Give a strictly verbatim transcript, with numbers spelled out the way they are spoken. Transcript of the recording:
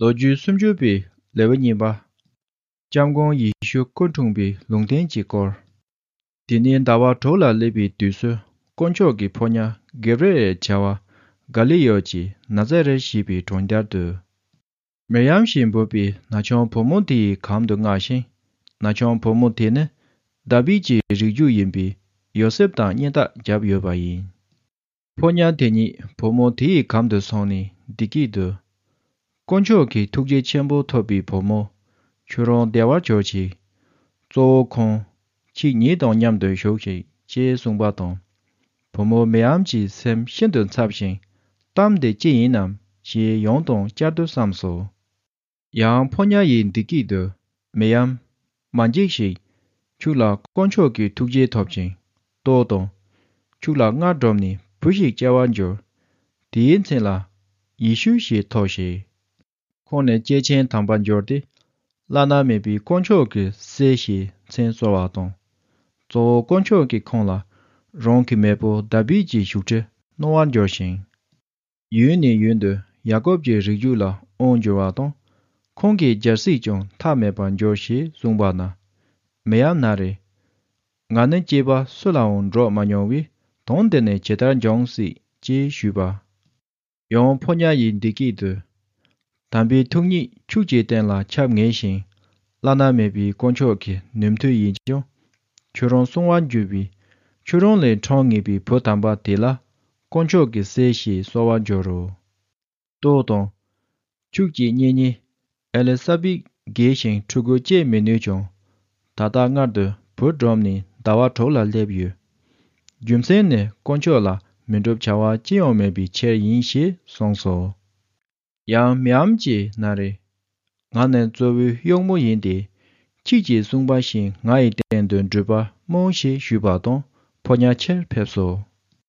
ལོ་རྒྱུས་སུམ་ཅུ་པའི་ལེའུ་གཉིས་པ། སྐྱབས་མགོན་ཡེ་ཤུ་སྐུ་འཁྲུངས་པའི་ལུང་བསྟན་གྱི་སྐོར། དེ་ནས་ཟླ་བ་དྲུག་ལ་སླེབས་པའི་དུས་སུ། དཀོན་མཆོག་གི་ཕོ་ཉ་གེབ་རི་ཨེལ་བྱ་བ་ག་ལི་ཡོད་ཀྱི་ན་ཛ་རེད་ཞེས་པའི་གྲོང་ཁྱེར་དུ། མིར་ཡམ་ཞེས་འབོད་པའི་ན་ཆུང་བུ་མོ་དེའི་གམ་དུ་མངགས་ཤིང་། ན་ཆུང་བུ་མོ་དེ་ནི་དཱ་བིད་ཀྱི་རིགས་རྒྱུད་ཡིན་པས། ཡོ་སེབ་དང་གཉེན་རྟགས་བརྒྱབ་ཡོད་པ་ཡིན། ཕོ་ཉ་དེ་ཉིད་བུ་མོ་དེའི་གམ་དུ་སོང་ནས་འདི་སྐད་དུ། དཀོན་མཆོག་གི་ཐུགས་རྗེ་ཆེན་པོ་ཐོབ་པའི་བུ་མོ། ཁྱོད་རང་བདེ་བར་གྱུར་ཅིག། གཙོ་བོ་ཁོང་། ཁྱེད་ཉིད་དང་མཉམ་དུ་བཞུགས་ཤིག་ཅེས་གསུངས་པ་དང་། བུ་མོ་མིར་ཡམ་གྱི་སེམས་ཤིན་ཏུ་འཚབ་ཞིང་། གཏམ་དེ་ཅི་ཡིན་ནམ་ཞེས་ཡང་དང་བསྐྱར་དུ་བསམས་སོ། ཡང་ཕོ་ཉ་ཡིས་འདི་སྐད་དུ། མིར་ཡམ། མ་འཇིགས་ཤིག། ཁྱོད་ལ་དཀོན་མཆོག་གི་ཐུགས་རྗེ་ཐོབ་ཅིང་། ལྟོས་དང་། ཁྱོད་ལ་སྔར་སྒྲུབ་ནས་བུ་ཞིག་སྐྱེ་བར་འགྱུར། དེའི་མཚན་ལ་ཡེ་ཤུ་ཞེས་ཐོགས་ཤིག། ཁོང་ནི་སྐྱེས་ཆེན་དམ་པར་འགྱུར་ཏེ། བླ་ན་མེད་པའི་དཀོན་མཆོག་གི་སྲས་ཞེས་མཚན་གསོལ་བ་དང་། གཙོ་བོ་དཀོན་མཆོག་གིས་ཁོང་ལ་རང་གི་མེས་པོ་དཱ་བིད་ཀྱི་བཞུགས་ཁྲི་གནང་བར་འགྱུར་ཞིང་། ཡུན་ནས་ཡུན་དུ་ཡ་ཀོབ་ཀྱི་རིགས་རྒྱུད་ལ་དབང་བསྒྱུར་བ་དང་། ཁོང་གི་རྒྱལ་སྲིད་ཀྱང་མཐའ་མེད་པར་འགྱུར་ཞེས་གསུངས་པ་ན། མིར་ཡམ་ན་རེ། ང་ནི་སྐྱེས་པ་སུ་ལའང་འགྲོགས་མ་མྱོང་བས། དོན་འདི་ནི་ཇི་ལྟར་འབྱུང་སྲིད་ཅེས་ཞུས་པ། ཡང་ཕོ་ཉ་ཡིས་འདི་སྐད་དུ། དམ་པའི་ཐུགས་ཉིད་ཁྱོད་ཀྱི་སྟེང་ལ་ཁྱབ་ངེས་ཤིང་། བླ་ན་མེད་པའི་དཀོན་མཆོག་གི་ནུས་མཐུ་ཡིས་ཀྱང་ཁྱོད་རང་སྲུང་བར་འགྱུར་བས། ཁྱོད་རང་ལས་འཁྲུངས་ངེས་པའི་བུ་དམ་པ་དེ་ལ་དཀོན་མཆོག་གི་སྲས་ཞེས་གསོལ་བར་འགྱུར་རོ། ལྟོས་དང་། ཁྱོད་ཀྱི་གཉེན་ཉེ་ཨེ་ལི་ས་བེད་རྒས་ཤིང་ཕྲུ་གུ་སྐྱེ་མི་ནུས་ཀྱང་། ད་ལྟ་སྔར་དུ་བུ་སྒྲུབ་ནས་ཟླ་བ་དྲུག་ལ་སླེབས་ཡོད། རྒྱུ་མཚན་ནི་དཀོན་མཆོག་ལ་མི་འགྲུབ་བྱ་བ་ཅི་ཡང་མེད་པའི་ཕྱིར་ཡིན་ཞེས་གསུངས་སོ། ཡང་མིར་ཡམ་གྱིས་ན་རེ། ང་ནི་གཙོ་བོའི་གཡོག་མོ་ཡིན་ཏེ། ཁྱེད་ཀྱིས་གསུངས་པ་བཞིན་ང་ཡི་སྟེང་དུ་འགྲུལ་པ་སྨོན་ཞེས་ཞུས་པ་དང་ཕོ་ཉ་ཕྱིར་ཕེབས་སོ།